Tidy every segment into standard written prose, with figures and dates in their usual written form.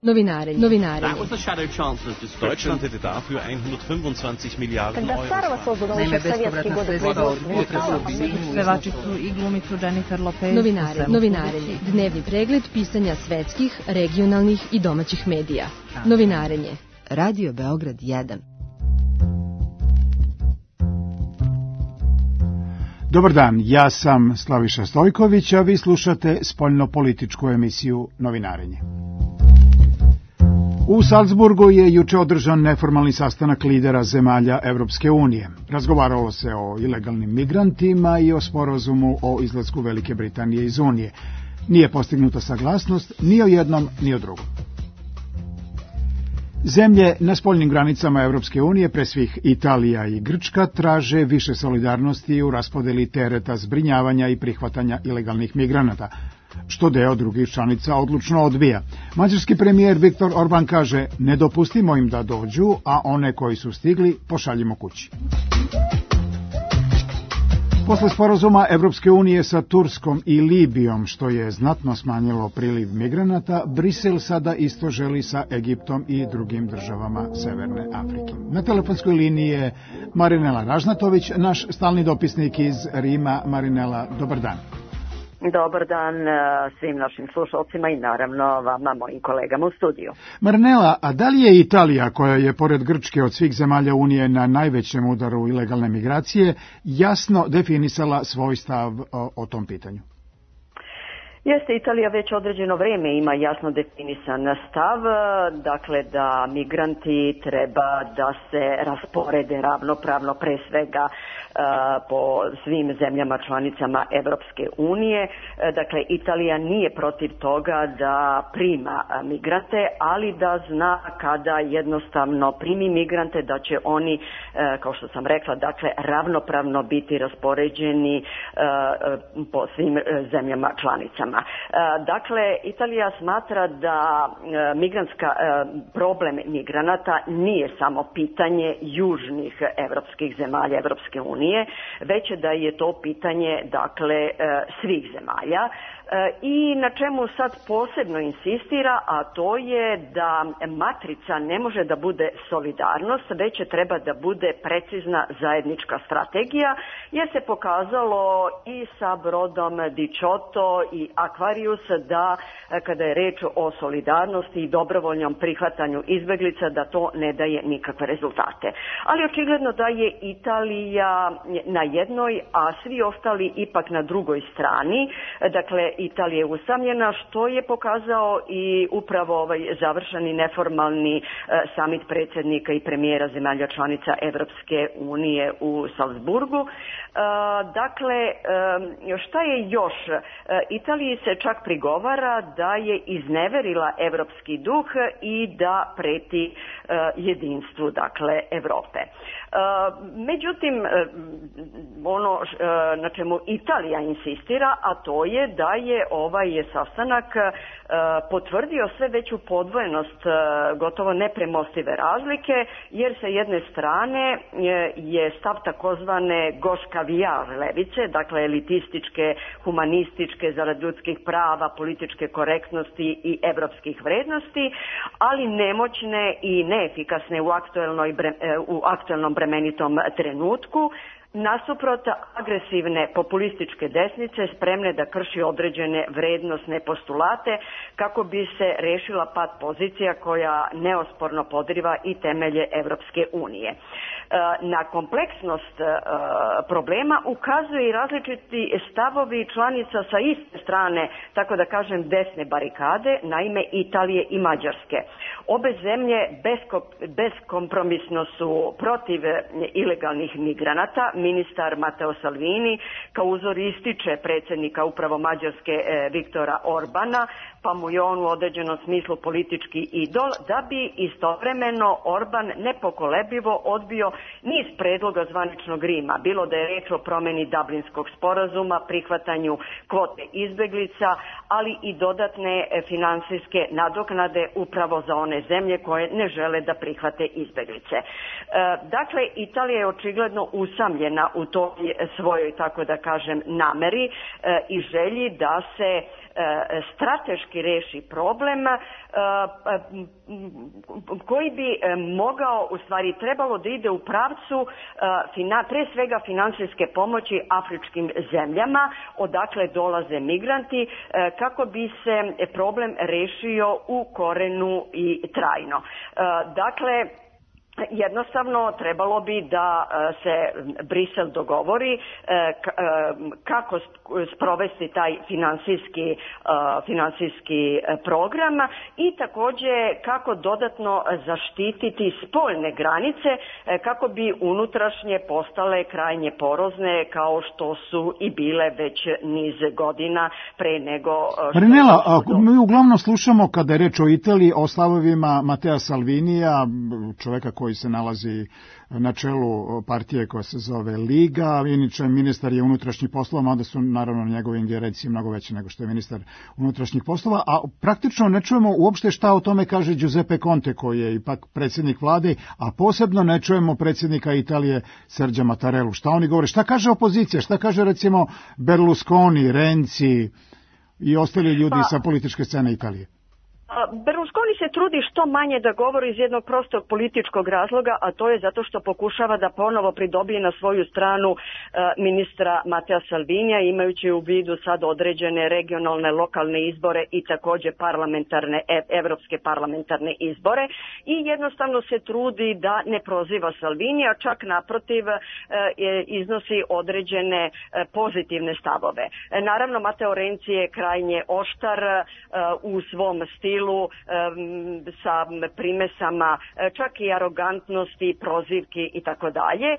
Novinare. That was the shadow chancellor's description. Deutschland hätte dafür 125 Milijarden Euro. Naime, bespovratna sredstva za upotrebu bi pevačicu i glumicu Jennifer Lopez. Novinarenje. Dnevni pregled pisanja svetskih, regionalnih i domaćih medija. Novinarenje. Radio Beograd 1. Dobar dan, ja sam Slaviša Stojković, a vi slušate spoljnopolitičku emisiju Novinarenje. U Salzburgu je juče održan neformalni sastanak lidera zemalja Evropske unije. Razgovaralo se o ilegalnim migrantima i o sporazumu o izlasku Velike Britanije iz Unije. Nije postignuta saglasnost ni o jednom ni o drugom. Zemlje na spoljnim granicama Evropske unije, pre svih Italija i Grčka, traže više solidarnosti u raspodeli tereta zbrinjavanja i prihvatanja ilegalnih migranata, što deo drugih članica odlučno odbija. Mađarski premijer Viktor Orban kaže: ne dopustimo im da dođu, a one koji su stigli pošaljimo kući. Posle sporazuma Evropske unije sa Turskom i Libijom, što je znatno smanjilo priliv migranata, Brisel sada isto želi sa Egiptom i drugim državama Severne Afrike. Na telefonskoj liniji je Marinela Ražnatović, naš stalni dopisnik iz Rima. Marinela, dobar dan. Dobar dan svim našim slušalcima i naravno vama, mojim kolegama u studiju. Marinela, a da li je Italija, koja je pored Grčke od svih zemalja Unije na najvećem udaru ilegalne migracije, jasno definisala svoj stav o tom pitanju? Jeste, Italija već određeno vrijeme ima jasno definisan stav, dakle da migranti treba da se rasporede ravnopravno, pre svega po svim zemljama članicama Evropske unije. Dakle, Italija nije protiv toga da prima migrante, ali da zna kada jednostavno primi migrante da će oni, kao što sam rekla, dakle ravnopravno biti raspoređeni po svim zemljama članicama. Dakle, Italija smatra da problem migranata nije samo pitanje južnih evropskih zemalja Evropske unije, već da je to pitanje, dakle, svih zemalja. I na čemu sad posebno insistira, a to je da matrica ne može da bude solidarnost, već treba da bude precizna zajednička strategija, jer se pokazalo i sa brodom Dicioto i Aquarius da kada je reč o solidarnosti i dobrovoljnom prihvatanju izbeglica da to ne daje nikakve rezultate. Ali očigledno da je Italija na jednoj, a svi ostali ipak na drugoj strani. Dakle, Italija je usamljena, što je pokazao i upravo završeni neformalni samit predsjednika i premijera zemalja članica Evropske unije u Salzburgu. Dakle, šta je još? Italiji se čak prigovara da je izneverila evropski duh i da preti jedinstvu, dakle, Evrope. Međutim, ono na čemu Italija insistira, a to je da je ovaj sastanak potvrdio sve veću podvojenost, gotovo nepremostive razlike, jer sa jedne strane je stav takozvane goškavijar levice, dakle elitističke, humanističke, zarad ljudskih prava, političke korektnosti i evropskih vrednosti, ali nemoćne i neefikasne u aktuelnom bremenitom trenutku, nasuprot agresivne populističke desnice spremne da krši određene vrednosne postulate kako bi se rešila pad pozicija koja neosporno podriva i temelje Evropske unije. Na kompleksnost problema ukazuje i različiti stavovi članica sa iste strane, tako da kažem desne barikade, naime Italije i Mađarske. Obe zemlje beskompromisno su protiv ilegalnih migranata. Ministar Matteo Salvini kao uzor ističe predsjednika upravo Mađarske Viktora Orbana, pa mu je on u određenom smislu politički idol, da bi istovremeno Orban nepokolebljivo odbio niz predloga zvaničnog Rima, bilo da je reč o promjeni Dublinskog sporazuma, prihvatanju kvote izbeglica, ali i dodatne finansijske nadoknade upravo za one zemlje koje ne žele da prihvate izbeglice. Dakle, Italija je očigledno usamljena u toj svojoj, tako da kažem, nameri i želji da se strateški reši problem koji bi mogao, u stvari trebalo da ide u pravcu pre svega finansijske pomoći afričkim zemljama odakle dolaze migranti, kako bi se problem rešio u korenu i trajno. Dakle, jednostavno trebalo bi da se Brisel dogovori kako sprovesti taj finansijski program i takođe kako dodatno zaštititi spoljne granice kako bi unutrašnje postale krajnje porozne kao što su i bile već niz godina pre nego... Marinela, mi uglavnom slušamo kada je reč o Italiji o stavovima Matea Salvinija, čoveka koji se nalazi na čelu partije koja se zove Liga, inače ministar je unutrašnjih poslova, mada su naravno njegove ingerencije mnogo veće nego što je ministar unutrašnjih poslova, a praktično ne čujemo uopšte šta o tome kaže Giuseppe Conte, koji je ipak predsjednik vlade, a posebno ne čujemo predsjednika Italije Sergia Mattarellu. Šta oni govore? Šta kaže opozicija? Šta kaže recimo Berlusconi, Renzi i ostali ljudi sa političke scene Italije? Berlusconi se trudi što manje da govori iz jednog prostog političkog razloga, a to je zato što pokušava da ponovo pridobije na svoju stranu ministra Matea Salvinija, imajući u vidu sad određene regionalne, lokalne izbore i takođe evropske parlamentarne izbore i jednostavno se trudi da ne proziva Salvinija, čak naprotiv iznosi određene pozitivne stavove. Naravno, Matteo Renzi je krajnje oštar u svom stilu, sa primesama čak i arogantnosti, prozivki i tako dalje,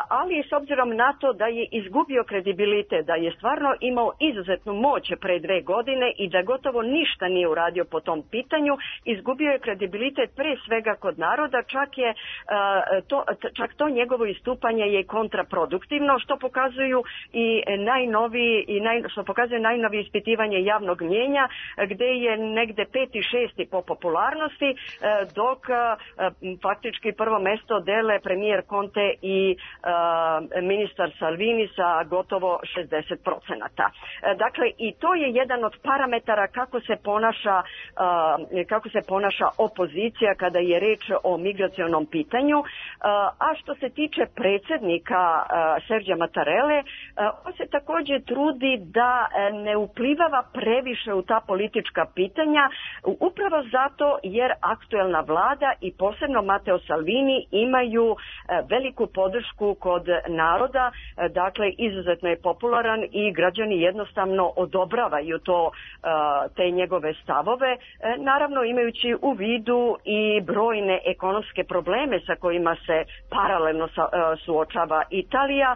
ali s obzirom na to da je izgubio kredibilitet, da je stvarno imao izuzetnu moć pre 2 godine i da gotovo ništa nije uradio po tom pitanju, izgubio je kredibilitet pre svega kod naroda, čak to njegovo istupanje je kontraproduktivno, što pokazuju i što pokazuje najnovije ispitivanje javnog mnjenja, gde je negde 5. i 6. po popularnosti, dok faktički prvo mesto dele premijer Conte i ministar Salvini sa gotovo 60%. Dakle, i to je jedan od parametara kako se ponaša opozicija kada je reč o migracionom pitanju. A što se tiče predsjednika Sergia Mattarelle, on se također trudi da ne uplivava previše u ta politička pitanja, upravo zato jer aktuelna vlada i posebno Matteo Salvini imaju veliku podršku kod naroda, dakle izuzetno je popularan i građani jednostavno odobravaju te njegove stavove, naravno imajući u vidu i brojne ekonomske probleme sa kojima se paralelno suočava Italija,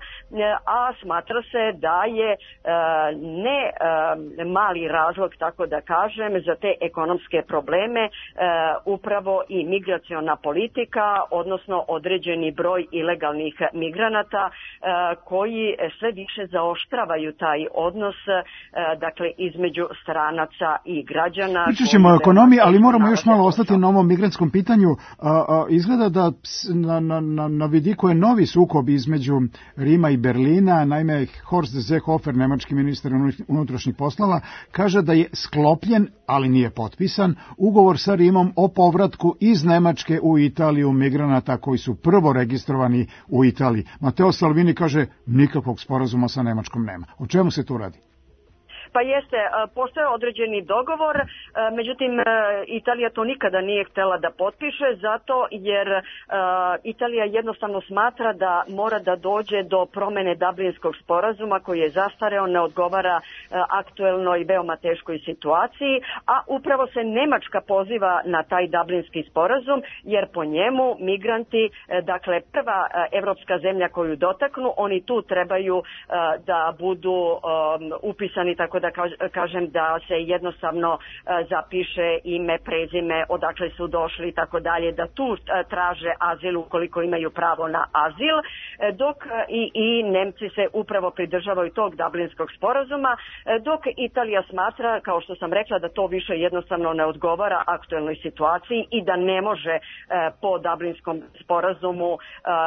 a smatra se da je ne mali razlog, tako da kažem, za te ekonomske probleme upravo i migraciona politika, odnosno određeni broj ilegalnih migranata koji sve više zaoštravaju taj odnos, dakle između stranaca i građana. Pričat ćemo o ekonomiji, ali moramo još malo ostati na ovom migrantskom pitanju. Izgleda da na vidiku je novi sukob između Rima i Berlina. Naime, Horst Seehofer, nemački ministar unutrašnjih poslova, kaže da je sklopljen, ali nije potpisan, ugovor sa Rimom o povratku iz Nemačke u Italiju migranata koji su prvo registrovani u Italiji. Matteo Salvini kaže nikakvog sporazuma sa Nemačkom nema. O čemu se tu radi? Pa jeste, postoje određeni dogovor, međutim Italija to nikada nije htjela da potpiše, zato jer Italija jednostavno smatra da mora da dođe do promene Dublinskog sporazuma koji je zastareo, ne odgovara aktuelnoj veoma teškoj situaciji, a upravo se Nemačka poziva na taj Dublinski sporazum, jer po njemu migranti, dakle prva evropska zemlja koju dotaknu, oni tu trebaju da budu upisani, tako da kažem da se jednostavno zapiše ime, prezime, odakle su došli i tako dalje, da tu traže azil ukoliko imaju pravo na azil, dok i Nemci se upravo pridržavaju tog Dublinskog sporazuma, dok Italija smatra, kao što sam rekla, da to više jednostavno ne odgovara aktuelnoj situaciji i da ne može po Dublinskom sporazumu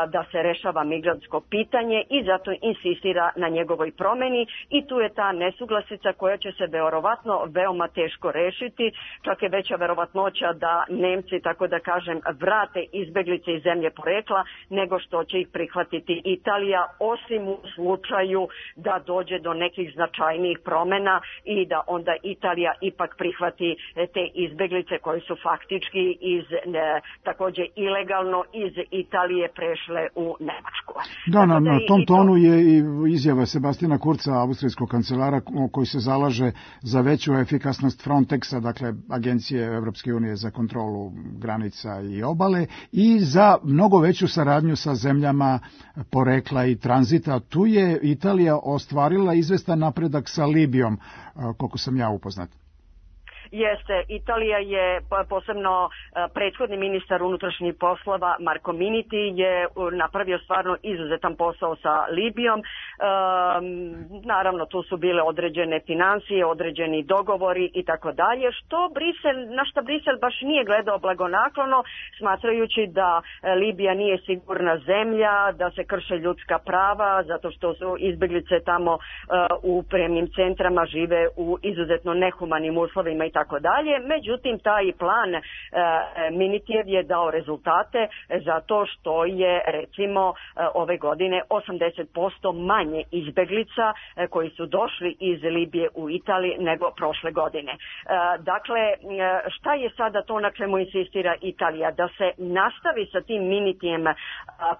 da se rešava migrantsko pitanje i zato insistira na njegovoj promeni i tu je ta nesuglasica izbeglica koja će se verovatno veoma teško rešiti, čak je veća verovatnoća da Nemci, tako da kažem, vrate izbeglice iz zemlje porekla nego što će ih prihvatiti Italija, osim u slučaju da dođe do nekih značajnijih promena i da onda Italija ipak prihvati te izbeglice koji su faktički takođe ilegalno iz Italije prešle u Nemačku. Da, na tom tonu je i izjava Sebastina Kurca, austrijskog kancelara, koji se zalaže za veću efikasnost Frontexa, dakle Agencije Evropske unije za kontrolu granica i obale, i za mnogo veću saradnju sa zemljama porekla i tranzita. Tu je Italija ostvarila izvestan napredak sa Libijom, koliko sam ja upoznat. Jeste, Italija je, posebno prethodni ministar unutrašnjih poslova Marko Minniti je napravio stvarno izuzetan posao sa Libijom. Naravno, tu su bile određene financije, određeni dogovori i tako dalje, na što Brisel baš nije gledao blagonaklono, smatrajući da Libija nije sigurna zemlja, da se krše ljudska prava, zato što su izbeglice tamo u prijemnim centrama, žive u izuzetno nehumanim uslovima i tako dalje. Međutim, taj plan Minnitijev je dao rezultate zato što je, recimo, ove godine 80% manje izbeglica koji su došli iz Libije u Italiji nego prošle godine. Dakle, šta je sada to na čemu insistira Italija? Da se nastavi sa tim Minnitijem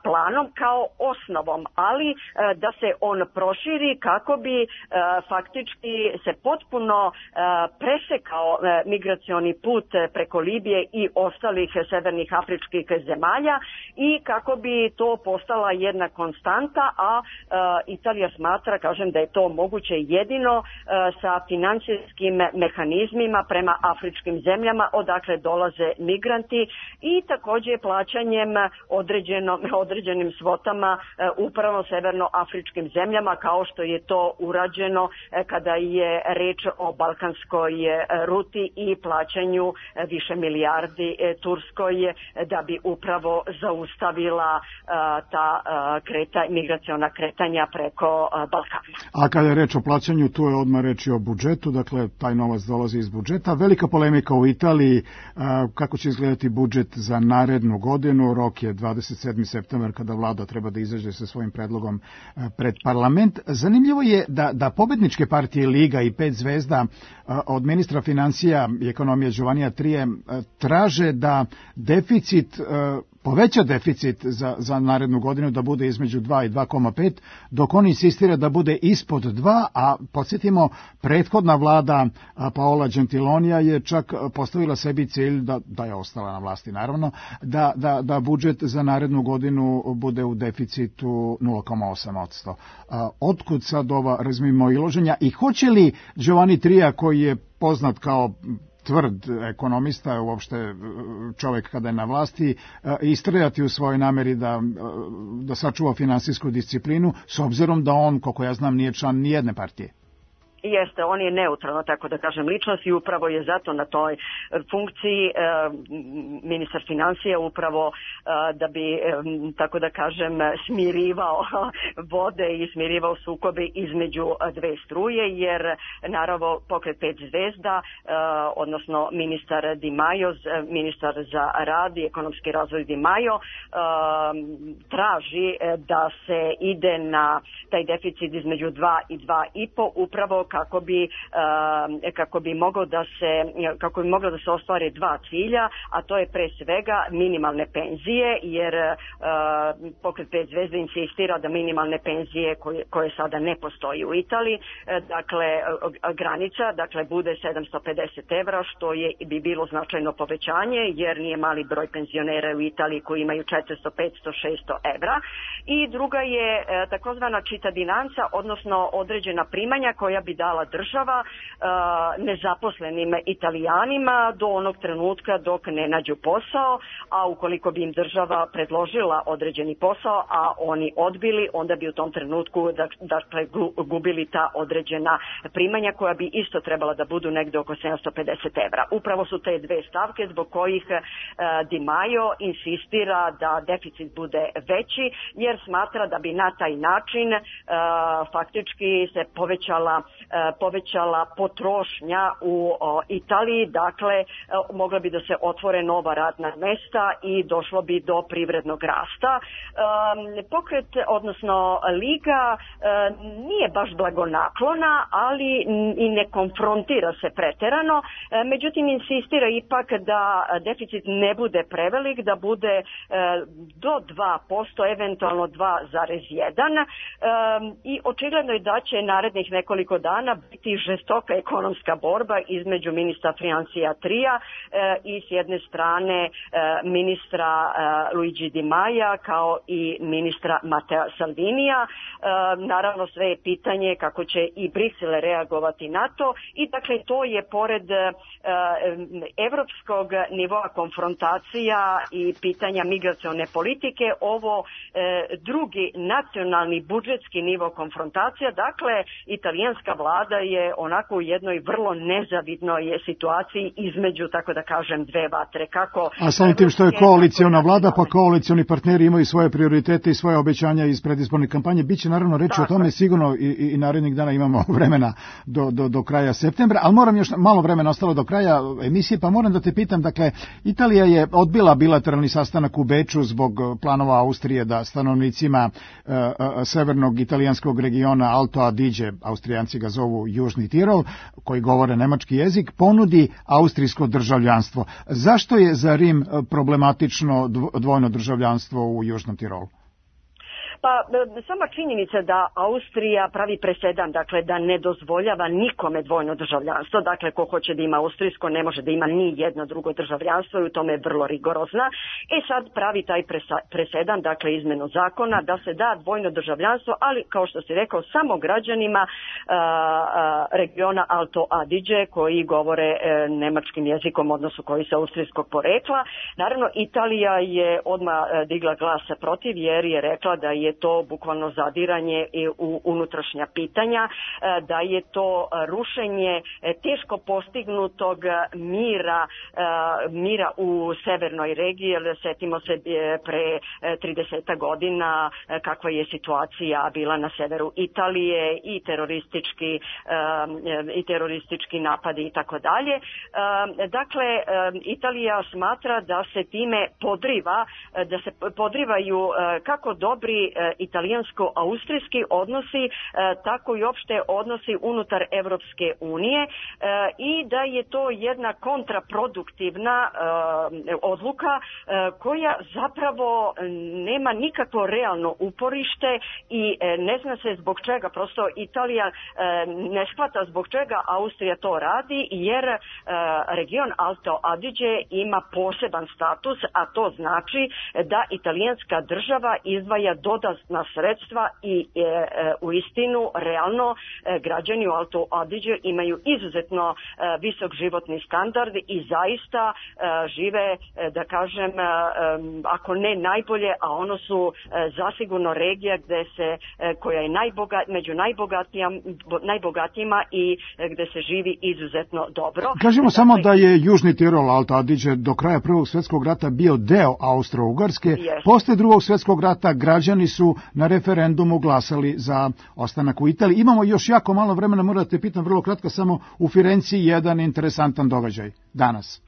planom kao osnovom, ali da se on proširi kako bi faktički se potpuno presekao migracioni put preko Libije i ostalih severnih afričkih zemalja i kako bi to postala jedna konstanta, a Italija smatra, kažem, da je to moguće jedino sa financijskim mehanizmima prema afričkim zemljama odakle dolaze migranti i takođe plaćanjem određenim svotama upravo severnoafričkim zemljama, kao što je to urađeno kada je reč o balkanskoj ruti i plaćanju više milijardi Turskoj da bi upravo zaustavila ta migraciona kretanja preko Balkana. A kada je reč o plaćanju, tu je odmah reč i o budžetu, dakle taj novac dolazi iz budžeta. Velika polemika u Italiji, kako će izgledati budžet za narednu godinu. Rok je 27. septembar kada vlada treba da izađe sa svojim predlogom pred parlament. Zanimljivo je da pobedničke partije Liga i 5 zvezda od ministra financija i ekonomije Giovannija Trije traže da poveća deficit za narednu godinu, da bude između 2 i 2,5, dok on insistira da bude ispod 2, a podsjetimo, prethodna vlada Paola Gentilonija je čak postavila sebi cilj, da je ostala na vlasti naravno, da budžet za narednu godinu bude u deficitu 0,8%. Otkud sad ova razmimoilaženja i hoće li Giovanni Trija, koji je poznat kao tvrd ekonomista, uopšte čovjek kada je na vlasti, istrajati u svojoj nameri da sačuva finansijsku disciplinu, s obzirom da on, koliko ja znam, nije član nijedne partije? Jeste, on je neutralno, tako da kažem, ličnost i upravo je zato na toj funkciji ministar financija upravo da bi, tako da kažem, smirivao vode i smirivao sukobe između dve struje, jer naravno pokret 5 zvezda, odnosno ministar Di Maio, ministar za rad i ekonomski razvoj Di Maio, traži da se ide na taj deficit između 2 i 2,5 upravo kako bi moglo da se ostvare dva cilja, a to je pre svega minimalne penzije, jer pokret 5 zvezda insistira da minimalne penzije koje sada ne postoji u Italiji, dakle granica, dakle bude 750 evra, što bi bilo značajno povećanje, jer nije mali broj penzionera u Italiji koji imaju 400, 500, 600 evra. I druga je takozvana cittadinanza, odnosno određena primanja koja bi dala država nezaposlenim Italijanima do onog trenutka dok ne nađu posao, a ukoliko bi im država predložila određeni posao, a oni odbili, onda bi u tom trenutku dakle gubili ta određena primanja koja bi isto trebala da budu negde oko 750 evra. Upravo su te dve stavke zbog kojih Di Maio insistira da deficit bude veći, jer smatra da bi na taj način faktički se povećala potrošnja u Italiji, dakle mogla bi da se otvore nova radna mesta i došlo bi do privrednog rasta. Pokret, odnosno Liga, nije baš blagonaklona, ali i ne konfrontira se preterano, međutim insistira ipak da deficit ne bude prevelik, da bude do 2%, eventualno 2,1%, i očigledno je da će narednih nekoliko dana biti žestoka ekonomska borba između ministra financija Tria i s jedne strane ministra Luigi Di Maia kao i ministra Matteo Salvinija. Naravno sve je pitanje kako će i Brisel reagovati na to, i dakle to je pored evropskog nivoa konfrontacija i pitanja migracione politike ovo drugi nacionalni budžetski nivo konfrontacija. Dakle, italijanska vlada je onako u jednoj vrlo nezavidnoj situaciji između, tako da kažem, dve vatre. A samim tim što je koaliciona vlada, pa koalicioni partneri imaju svoje prioritete i svoje obećanja iz predizborne kampanje. Biće naravno reći o tome sigurno i narednih dana, imamo vremena do kraja septembra, ali moram još malo vremena ostalo do kraja emisije, pa moram da te pitam, dakle, Italija je odbila bilateralni sastanak u Beču zbog planova Austrije da stanovnicima severnog italijanskog regiona Alto Adige, Austrijanci ga zovu Južni Tirol, koji govore nemački jezik, ponudi austrijsko državljanstvo. Zašto je za Rim problematično dvojno državljanstvo u Južnom Tirolu? Pa sama činjenica da Austrija pravi presedan, dakle da ne dozvoljava nikome dvojno državljanstvo, dakle ko hoće da ima austrijsko ne može da ima ni jedno drugo državljanstvo i u tome je vrlo rigorozna. Sad pravi taj presedan, dakle izmenu zakona da se da dvojno državljanstvo, ali kao što si rekao samo građanima regiona Alto Adige koji govore nemačkim jezikom, odnosno koji su austrijskog porekla. Naravno Italija je odmah digla glas protiv jer je rekla da je to bukvalno zadiranje u unutrašnja pitanja, da je to rušenje teško postignutog mira u severnoj regiji, jer setimo se pre 30 godina kakva je situacija bila na severu Italije i teroristički napadi i tako dalje. Dakle, Italija smatra da se time podrivaju kako dobri italijansko-austrijski odnosi, tako i opšte odnosi unutar Evropske unije, i da je to jedna kontraproduktivna odluka koja zapravo nema nikakvo realno uporište i ne zna se zbog čega. Prosto Italija ne shvata zbog čega Austrija to radi, jer region Alto Adige ima poseban status, a to znači da italijanska država izdvaja dodatna sredstva i u istinu realno građani u Alto Adige imaju izuzetno visok životni standard i zaista žive, da kažem, ako ne najbolje, a ono su zasigurno regija koja je među najbogatijima i gde se živi izuzetno dobro. Kažemo samo da je Južni Tirol, Alto Adige, do kraja Prvog svjetskog rata bio deo Austro-Ugarske. Posle Drugog svjetskog rata građani su na referendumu glasali za ostanak u Italiji. Imamo još jako malo vremena, moram da te pitam vrlo kratko, samo u Firenciji jedan interesantan događaj danas.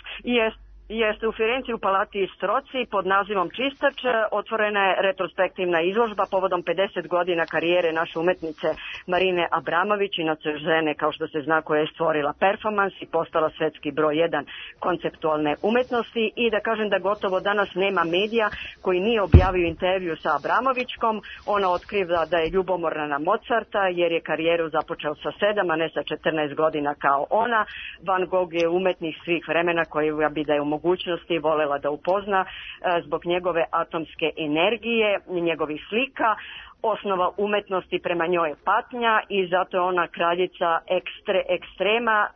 Jeste, u Firenci u Palati Stroci pod nazivom Čistač otvorena je retrospektivna izložba povodom 50 godina karijere naše umetnice Marine Abramović, inače žene, kao što se zna, koja je stvorila performans i postala svetski broj 1 konceptualne umetnosti, i da kažem da gotovo danas nema medija koji nije objavio intervju sa Abramovićkom. Ona otkriva da je ljubomorna na Mozarta jer je karijeru započeo sa 7, a ne sa 14 godina kao ona. Van Gogh je umetnik svih vremena koji bi da je u mogućnosti volela da upozna zbog njegove atomske energije, njegovih slika. osnova umetnosti prema njoj je patnja i zato je ona kraljica ekstrema,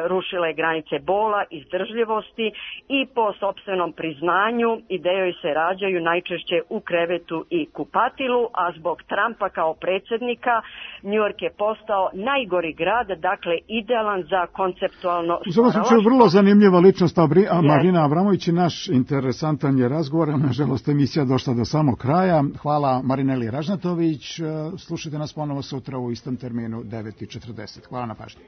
rušila je granice bola, izdržljivosti i po sopstvenom priznanju ideje joj se rađaju najčešće u krevetu i kupatilu, a zbog Trumpa kao predsjednika New York je postao najgori grad, dakle idealan za konceptualno u svakom slučaju vrlo zanimljiva ličnost Marina Abramović i naš interesantan je razgovor. Nažalost, emisija došla do samog kraja. Hvala Marineli Ražnatović. Slušajte nas ponovo sutra u istom terminu 9:40. Hvala na pažnji.